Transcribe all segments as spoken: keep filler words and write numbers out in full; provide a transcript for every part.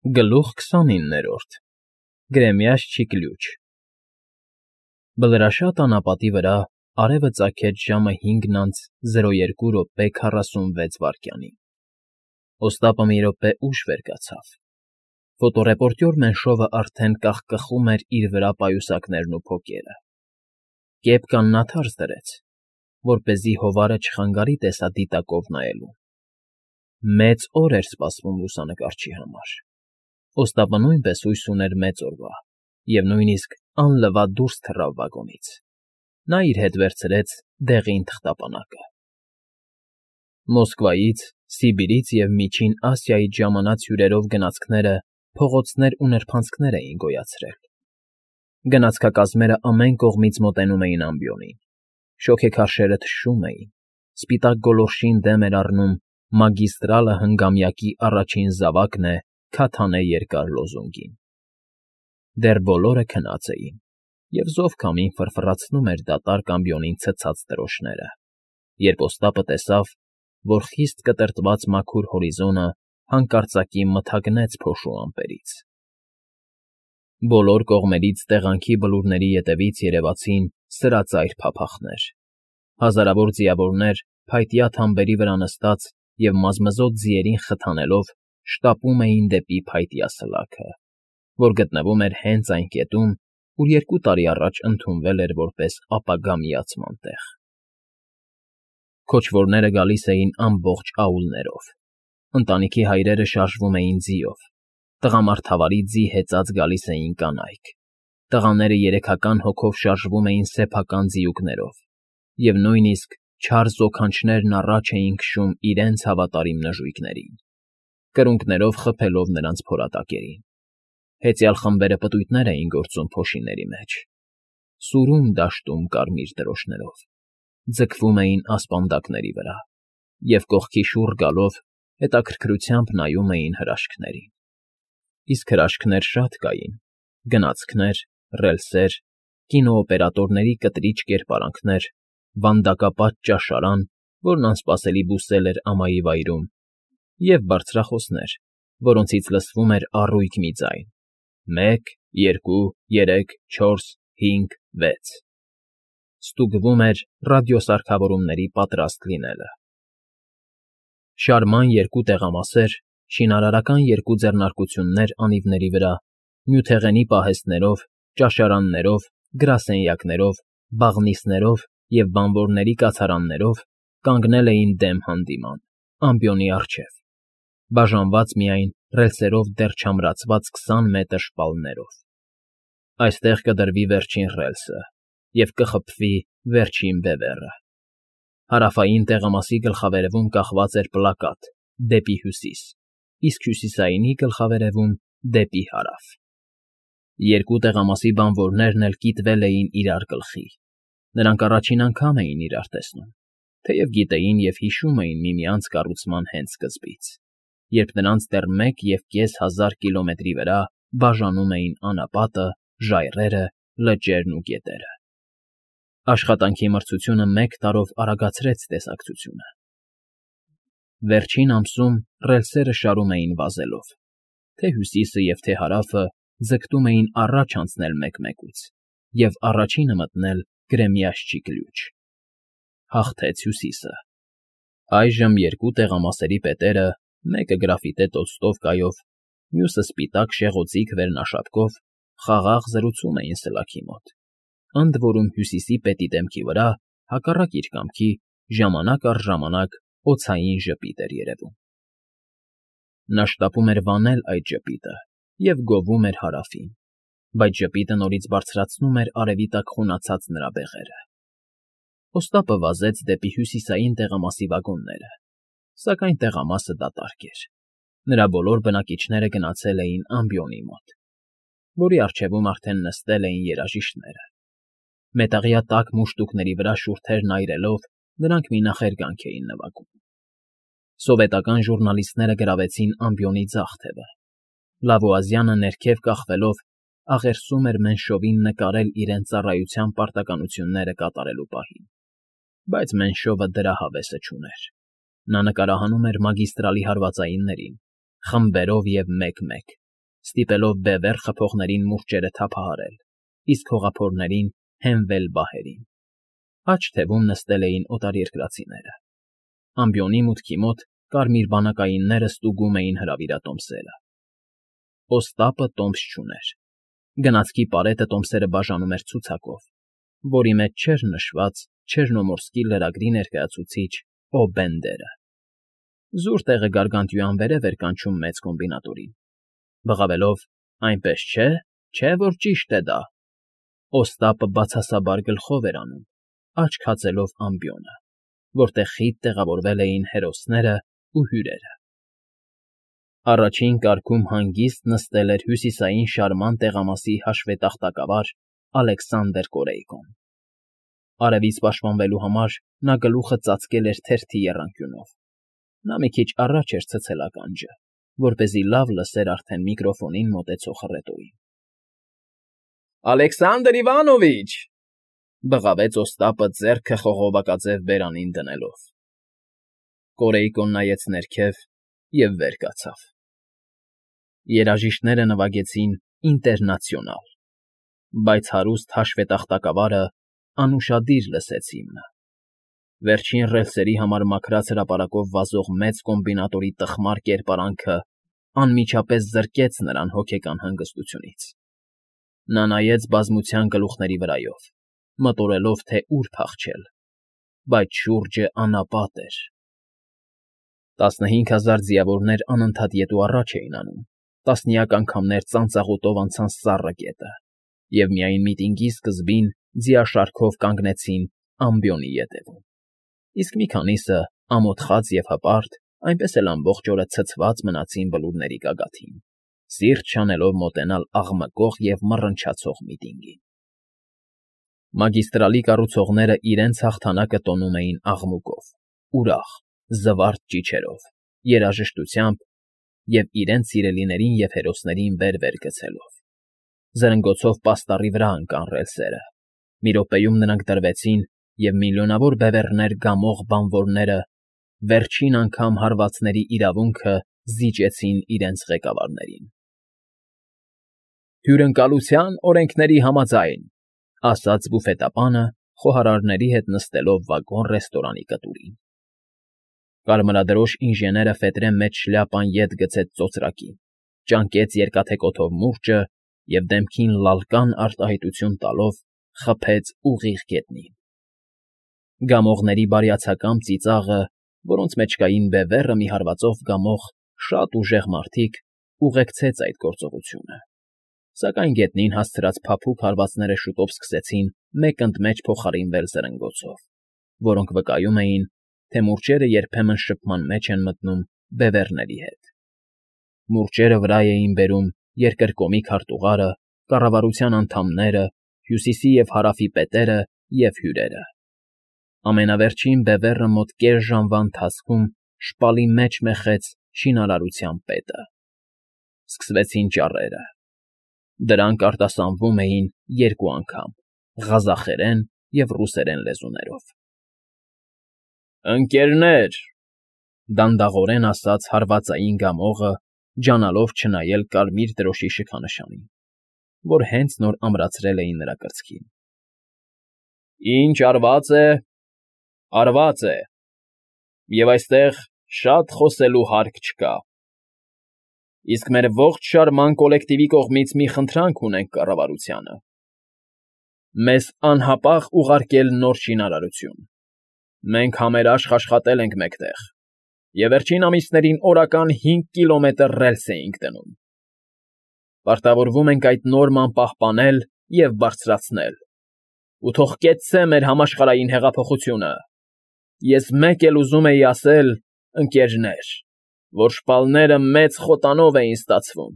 Գլուխ քսանիններորդ Գրեմյաց չիկլյուչ Բլրաշատ անապատի վրա արևը ծագեց ժամը հինգն անց զրո երկու րոպե քառասունվեց վայրկյանին. Օստապը մի րոպե ուշ վեր կացավ. ֆոտոռեպորտյոր Մենշովը արդեն կախկխում էր իր վրա պայուսակներն ու փոկերը. կեպկան նա թարս դրեց, որպեսզի հովարը չխանգարի տեսադիտակով նայելուն. մեծ օր էր սպասվում լուսանկարչի համար. Օստապը նույնպես հույս ուներ մեծ օրվա և նույնիսկ անլվա դուրս թռավ վագոնից. նա իր հետ վերցրեց դեղին թղթապանակը. Մոսկվայից, Սիբիրից և Միջին Ասիայից ժամանած հյուրերով գնացքները փողոցներ ու նրբանցքներ էին գոյացրել. գնացքակազմերը ամեն կողմից մոտենում էին ամբիոնին, շոգեքարշերը թշում էին, սպիտակ գոլորշին դեմ էր առնում «Մագիստրալը հնգամյակի առաջին զավակն է» քաթանե երկար լոզունգին. դեռ բոլորը քնած էին, և զով քամին ֆռֆռացնում էր դատարկ ամբիոնին ցցած դրոշները, երբ Օստապը տեսավ, որ խիստ կտրտված մաքուր հորիզոնը հանկարծակի մթագնեց փոշու ամպերից. բոլոր կողմերից տեղանքի բլուրների ետևից երևացին սրածայր փափախներ, հազարավոր ձիավորներ փայտյա թամբերի վրա նստած և մազմզոտ ձիերին խթանելով շտապում էին դեպի փայտյա սլաքը, որ գտնվում էր հենց այն կետում, ուր երկու տարի առաջ ընդունվել էր որպես ապագա միացման տեղ. Քոչվորները գալիս էին ամբողջ աուլներով, ընտանիքի հայրերը շարժվում էին ձիով, տղամարդավարի ձի հեծած գալիս էին կանայք, տղաները երեքական հոգով շարժվում էին սեփական ձիուկներով, և նույնիսկ չար զոքանչներն առաջ էին քշում իրենց հավատարիմ նժույգներին, կրունկներով խփելով նրանց փորատակերին. հեծյալ խմբերը պտույտներ էին գործում փոշիների մեջ, սուրում դաշտում կարմիր դրոշներով, ձգվում էին ասպանդակների վրա և կողքի շուռ գալով հետաքրքրությամբ նայում էին հրաշքներին. իսկ հրաշքներ շատ կային, գնացքներ, ռելսեր, կինոօպերատորների կտրիչ կերպարանքներ, վանդակապատ ճաշարան, որն անսպասելի բուսել էր ամայի վայրում, և բարձրախոսներ, որոնցից լսվում էր առույգ մի ձայն. մեկ, երկու, երեք, չորս, հինգ, վեց. ստուգվում էր ռադիոսարքավորումների պատրաստ լինելը. շարման երկու տեղամասեր, շինարարական երկու ձեռնարկություններ անիվների վրա, նյութեղենի պահեստներով, ճաշարաններով, գրասենյակներով, բաղնիցներով և բանվորների կացարաններով կանգնել էին դեմ հանդիման, ամբիոնի առջև, բաժանված միայն ռելսերով դեռ չամրացված քսան մետր շպալներով. այստեղ կդրվի վերջին ռելսը և կխփվի վերջին բևեռը. հարավային տեղամասի գլխավերևում կախված էր պլակատ «Դեպի հյուսիս», իսկ հյուսիսայինի գլխավերևում «Դեպի հարավ»։ Երկու տեղամասի բանվորներն էլ կիտվել էին իրար գլխի, նրանք առաջին անգամ էին իրար տեսնում, թեև գիտեին և հիշում էին միմյանց կառուցման հենց սկզբից, երբ նրանց դեռ մեկ և կես հազար կիլոմետրի վրա բաժանում էին անապատը, ժայռերը, լճերն ու գետերը։ Աշխատանքի մրցությունը մեկ տարով արագացրեց տեսակցությունը. վերջին ամսում ռելսերը շարում էին վազելով, թե հյուսիսը և թե հարավը ձգտում էին առաջ անցնել մեկ֊մեկուց և առաջինը մտնել Գրեմյաց չիկլյուչ. հաղթեց հյուսիսը. այժմ երկու տեղամասերի պետերը, մեկը գրաֆիտե տոլստովկայով, մյուսը սպիտակ շեղօձիկ վերնաշապկով, խաղաղ զրուցում էին սլաքի մոտ, ընդ որում հյուսիսի պետի դեմքի վրա, հակառակ իր կամքի, ժամանակ առ ժամանակ օձային ժպիտ էր երևում. նա շտապում էր վանել այդ ժպիտը և գովում էր հարավին, բայց ժպիտը նորից բարձրացնում էր արևի տակ խունացած նրա բեղերը. Օստապը վազեց դեպի հյուսիսային տեղամասի վագոնները, սակայն տեղամասը դատարկ էր, նրա բոլոր բնակիչները գնացել էին ամբիոնի մոտ, որի առջևում արդեն նստել էին երաժիշտները. մետաղյա տաք մուշտուկների վրա շուրթերն այրելով նրանք մի նախերգանք էին նվագում. սովետական ժուռնալիստները գրավեցին ամբիոնի ձախ թևը, Լավուազյանը ներքև կախվելով աղերսում էր Մենշովին նկարել իրենց ծառայության պարտականությունները կատարելու պահին, բայց Մենշովը դրա հավեսը չուներ. նա նկարահանում էր մագիստրալի հարվածայիններին, խմբերով և մեկ֊մեկ, ստիպելով բևեռ խփողներին մուրճերը թափահարել, իսկ հողափորներին հենվել բահերին. աջ թևում նստել էին օտարերկրացիները։ Ամբիոնի մուտքի մոտ կարմիր բանակայինները ստուգում էին հրավիրատոմսերը։ Օստապը տոմս չուներ։ Գնացքի պարետը տոմսերը բաժանում էր ցուցակով, որի մեջ չէր նշված Չեռնոմորսկի լրագրի ներկայացուցիչ Օ֊Բենդերը։ Զուր տեղը գարգանտյուան վերև էր կանչում մեծ կոմբինատորին, բղավելով. այնպես չէ, չէ՞ որ ճիշտ է դա։ Օստապը բացասաբար գլխով էր անում, աչք հացելով ամբիոնը, որտեղ խիտ տեղավորվել էին հերոսներն ու հյուրերը։ Առաջին կարգում հանգիստ նստել էր հյուսիսային շարման տեղամասի հաշվետախտակավար Ալեքսանդր Կորեյկոն։ Արևից պաշտպանվելու համար նա գլուխը ծածկել էր թերթի եռանկյունով։ Նա մի քիչ առաջ էր ցցել ականջը, որպեսզի լավ լսեր արդեն միկրոֆոնին մոտեցող հռետորին։ Ալեքսանդր Իվանովիչ,֊ բղավեց Օստապը ձեռքը խողովակաձև բերանին դնելով։ Կորեյկոն նայեց ներքև և վեր կացավ։ Երաժիշտները նվագեցին Ինտերնացիոնալ, բայց հարուստ հաշվետախտակավարը անուշադիր լսեց հիմնը։ Վերջին ռելսերի համար մաքրած հրապարակով վազող մեծ կոմբինատորի տխմար կերպարանքը անմիջապես զրկեց նրան հոգեկան հանգստությունից։ Նա նայեց բազմության գլուխների վրայով, մտորելով, թե ուր փախչել, բայց շուրջը անապատ էր։ Տասնհինգ հազար ձիավորներ անընդհատ ետ ու առաջ էին անում, տասնյակ անգամներ ծանծաղուտով անցան սառը գետը, և միայն միտինգի սկզբին ձիաշարքով կանգնեցին ամբիոնի ետևում, իսկ մի քանիսը, ամոթխած և հպարտ, այնպես էլ ամբողջ օրը ցցված մնացին բլուրների գագաթին, սիրտ չանելով մոտենալ աղմկող և մռնչացող միտինգին։ Մագիստրալի կառուցողները իրենց հաղթանակը տոնում էին աղմուկով, ուրախ, զվարթ ճիչերով, երաժշտությամբ և իրենց սիրելիներին և հերոսներին վեր֊վեր գցելով։ Զրնգոցով պաստառի վրա ընկան ռելսերը։ Մի րոպեում նրանք դրվեցին, և միլիոնավոր բևեռներ գամող բանվորները վերջին անգամ հարվածների իրավունքը զիջեցին իրենց ղեկավարներին։ Հյուրընկալության օրենքների համաձայն,֊ ասաց բուֆետապանը՝ խոհարարների հետ նստելով վագոն֊ռեստորանի կտուրին։ Կարմրադրոշ ինժեները ֆետրե մեջ շլյապան ետ գցեց ծոծրակին, ճանկեց երկաթե կոթով մուրճը և դեմքին լալկան արտահայտություն տալով խփեց ուղիղ գետնին։ Գամողների բարյացակամ ծիծաղը, որոնց մեջ կային բևեռը մի հարվածով գամող շատ ուժեղ մարդիկ, ուղեկցեց այդ գործողությունը, սակայն գետնին հասցրած փափուկ հարվածները շուտով սկսեցին մեկ ընդ մեջ փոխարինվել զրնգոցով, որոնք վկայում էին, թե մուրճերը երբեմն շփման մեջ են մտնում բևեռների հետ։ Մուրճերը վրա էին բերում երկրկոմի քարտուղարը, կառավարության անդամները, հյուսիսի և հարավի պետերը և հյուրերը։ Ամենավերջին բևեռը մոտ կես ժամվա ընթացքում շպալի մեջ մեխեց շինարարության պետը։ Սկսվեցին ճառերը։ Դրանք արտասանվում էին երկու անգամ՝ ղազախերեն և ռուսերեն լեզուներով։ «Ընկերներ,֊ դանդաղորեն ասաց հարվածային գամողը, ջանալով չնայել կարմիր դրոշի շքանշանին, որ հենց նոր ամրացրել էին նրա կրծքին,֊ ինչ արված է, արված է, և այստեղ շատ խոսելու հարկ չկա։ Իսկ մեր ողջ շարման կոլեկտիվի կողմից մի խնդրանք ունենք կառավարությանը. մեզ անհապաղ ուղարկել նոր շինարարություն։ Մենք համերաշխ աշխատել ենք մեկտեղ, և վերջին ամիսներին օրական հինգ կիլոմետր ռելս էինք դնում։ Պարտավորվում ենք այդ նորման պահպանել և բարձրացնել, ու թող կեցցե մեր համաշխարհային հեղափոխությունը։ Ես մեկ էլ ուզում էի ասել, ընկերներ, որ շպալները մեծ խոտանով էին ստացվում,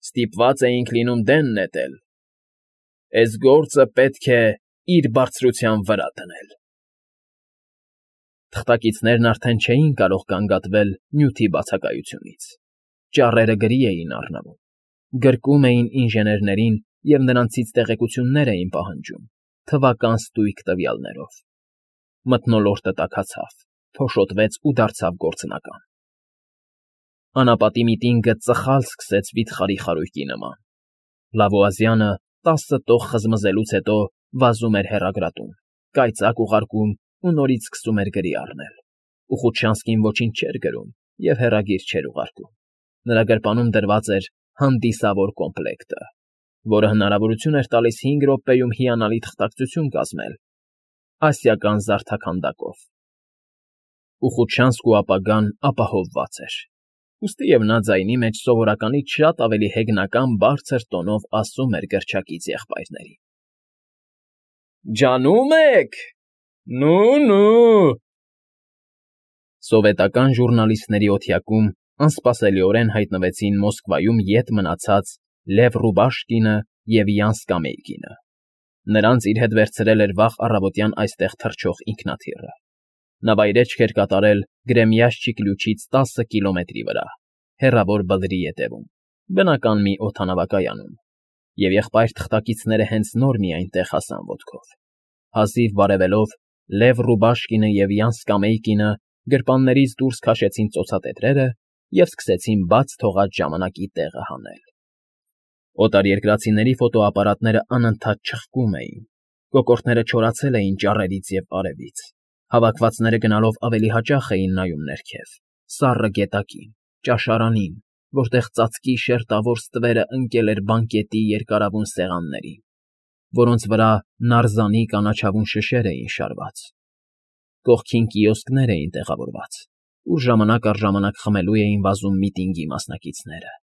ստիպված էինք լինում դեն նետել։ Էս գործը պետք է իր բարձրության վրա դնել»։ Թղթակիցներն արդեն չէին կարող գանգատվել նյութի բացակայությունից։ Ճառերը գրի էին առնվում, գրկում էին ինժեներներին և նրանցից տեղեկություններ էին պահանջում, թվական ստույգ տվյալներով։ Մթնոլորտը տաքացավ, փոշոտվեց ու դարձավ գործնական։ Անապատի միտինգը ծխալ սկսեց վիթխարի խարույկի նման։ Լավոազյանը տասը տող խզմզելուց հետո վազում էր հեռագրատուն, կայծակ ուղարկում ու նորից սկսում էր գրի առնել։ Ուխուտշանսկին ոչինչ չէր գրում և հեռագիր չէր ուղարկում։ Նրա գրպանում դրված էր հանդիսավոր կոմպլեկտը, որը հնարավորություն էր տալիս հինգ րոպեում հիանալի թղթակցություն կազմել ասիական զարդաքանդակով։ Ուխուտշանսկու ապագան ապահովված էր։ Ուստիև նա ձայնի մեջ սովորականից շատ ավելի հեգնական բարձր տոնով ասում էր գրչակից եղբայրներին. «Ջանում եք… Նու՛֊նու»։ Սովետական ժուռնալիստների օթյակում անսպասելիորեն հայտնվեցին Մոսկվայում ետ մնացած Լև Ռուբաշկինը և Յան Սկամեյկինը։ Նրանց իր հետ վերցրել էր վաղ առավոտյան այստեղ թռչող ինքնաթիռը։ Նա վայրէջք էր կատարել Գրեմյաշչիկ լյուչից տասը կիլոմետրի վրա, հեռավոր Բլրի ետևում, բնական մի օդանավակայանում, և եղբայր թղթակիցները հենց նոր մի այնտեղ հասան ոտքով։ Հազիվ բարևելով, Լև Ռուբաշկինը և Յան Սկամեյկինը գրպաններից դուրս քաշեցին ծոցատետրերը և սկսեցին բաց թողած ժամանակի տեղը հանել։ Օտարերկրացիների ֆոտոապարատները անընդհատ չխկում էին, կոկորդները չորացել էին ճառերից և արևից, հավաքվածները գնալով ավելի հաճախ էին նայում ներքև, սառը գետակին, ճաշարանին, որտեղ ծածկի շերտավոր ստվերը ընկել էր բանկետի երկարավուն սեղաններին, որոնց վրա նարզանի կանաչավուն շշեր էին շարված։ Կողքին կիոսկներ էին տեղավորված, ուր ժամանակ առ ժամանակ խմելու էին վազում միտինգի մասնակիցները։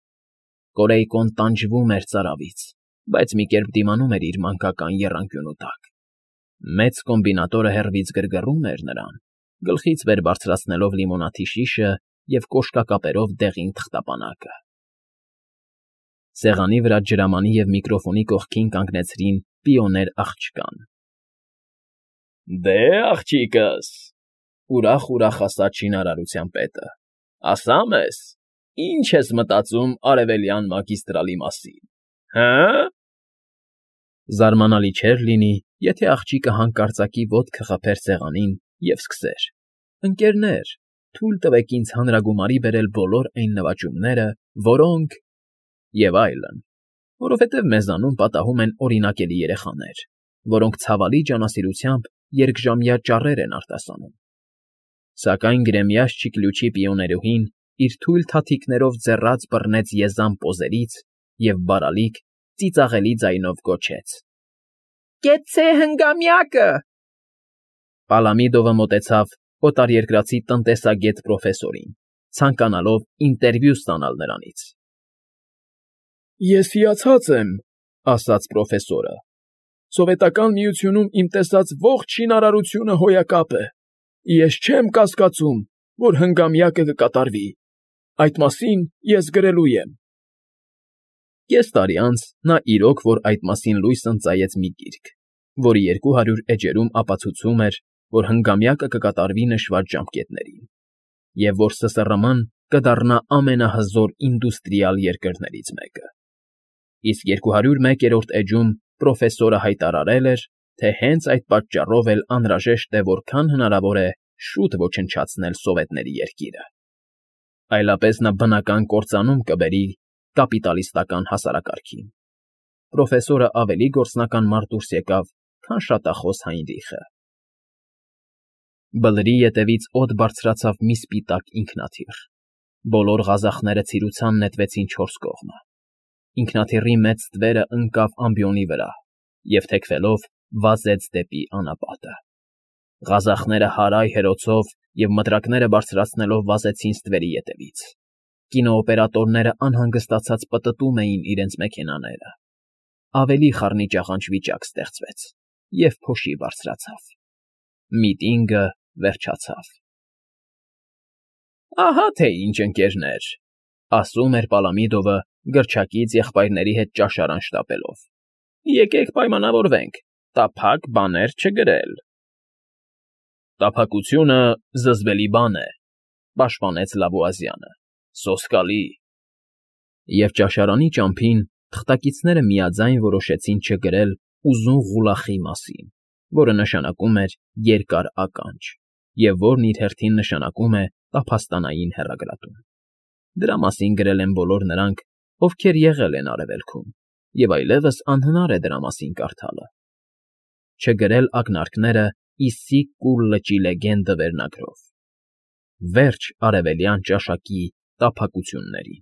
Կորեյկոն տանջվում էր ծարավից, բայց մի կերպ դիմանում էր իր մանկական եռանկյունու տակ։ Մեծ կոմբինատորը հեռվից գրգռում էր նրան, գլխից վեր բարձրացնելով լիմոնադի շիշը և կոշկակապերով դեղին թղթապանակը։ Սեղանի վրա ջրամանի և միկրոֆոնի կողքին կանգնեցրին պիոներ աղջկան։ ֊ Դե, աղջիկս,֊ ուրախ֊ուրախ ասաց շինարարության պետը,֊ ասա մեզ, ի՞նչ ես մտածում Արևելյան մագիստրալի մասին, հը՞։ Զարմանալի չէր լինի, եթե աղջիկը հանկարծակի ոտքը խփեր սեղանին և սկսեր. «Ընկերներ, թույլ տվեք ինձ հանրագումարի բերել բոլոր այն նվաճումները, որոնք…» և այլն, որովհետև մեզանում պատահում են օրինակելի երեխաներ, որոնք ցավալի ջանասիրությամբ երկժամյա ճառեր են արտասանում։ Սակայն Գրեմյաշչիկ լյուչի պիոներուհին իր թույլ թաթիկներով ձեռաց բռնեց եզան պոզերից և բարալիկ, ծիծաղելի ձայնով գոչեց. «Կեցցե հնգամյակը»։ Պալամիդովը մոտեցավ օտարերկրացի տնտեսագետ պրոֆեսորին, ցանկանալով ինտերվյու ստանալ նրանից։ «Ես հիացած եմ,֊ ասաց պրոֆեսորը,֊ Սովետական Միությունում իմ տեսած ողջ շինարարությունը հոյակապ է։ Ես չեմ կասկածում, որ հնգամյակը կկատարվի։ Այդ մասին ես գրելու եմ»։ Կես տարի անց նա իրոք որ այդ մասին լույս ընծայեց մի գիրք, որի երկու հարյուր էջերում ապացուցում էր, որ հնգամյակը կկատարվի նշված ժամկետներին, և որ ՍՍՌՄ֊ն կդառնա ամենահզոր ինդուստրիալ երկրներից մեկը։ Իսկ երկու հարյուր մեկերորդ էջում պրոֆեսորը հայտարարել էր, թե հենց այդ պատճառով էլ անհրաժեշտ է որքան հնարավոր է շուտ ոչնչացնել սովետների երկիրը։ Այլապես նա բնական կործանում կբերի կապիտալիստական հասարակարգին։ Պրոֆեսորը ավելի գործնական մարդ դուրս եկավ, քան շատախոս Հայնրիխը։ Բլրի ետևից օդ բարձրացավ մի սպիտակ ինքնաթիռ։ Բոլոր ղազախները ցիրուցան նետվեցին չորս կողմը։ Ինքնաթիռի մեծ ստվերը ընկավ ամբիոնի վրա և, թեքվելով, վազեց դեպի անապատը։ Ղազախները հարայ֊հերոցով և մտրակները բարձրացնելով վազեցին ստվերի ետևից։ Կինոօպերատորները անհանգստացած պտտում էին իրենց մեքենաները։ Ավելի խառնիճաղանճ վիճակ ստեղծվեց, և փոշի բարձրացավ։ Միտինգը վերջացավ։ «Ահա թե ինչ, ընկերներ,֊ ասում էր Պալամիդովը, գրչակից եղբայրների հետ ճաշարան շտապելով,֊ եկեք պայմանավորվենք տափակ բաներ չգրել»։ «Տափակությունը զզվելի բան է,֊ պաշտպանեց Լավոազյանը,֊ սոսկալի»։ Եվ ճաշարանի ճամփին թղթակիցները միաձայն որոշեցին չգրել «ուզուն ղուլախի» մասին, որը նշանակում էր երկար ականջ, և որն իր հերթին նշանակում է տափաստանային հեռագրատուն։ Դրա մասին գրել են բոլոր նրանք, ովքեր եղել են Արևելքում, և այլևս անհնար է դրա մասին կարդալը, չգրել ակնարկները Իսսիկ Կուլ լճի լեգենդը վերնագրով. Վերջ արևելյան ճաշակի տափակություններին։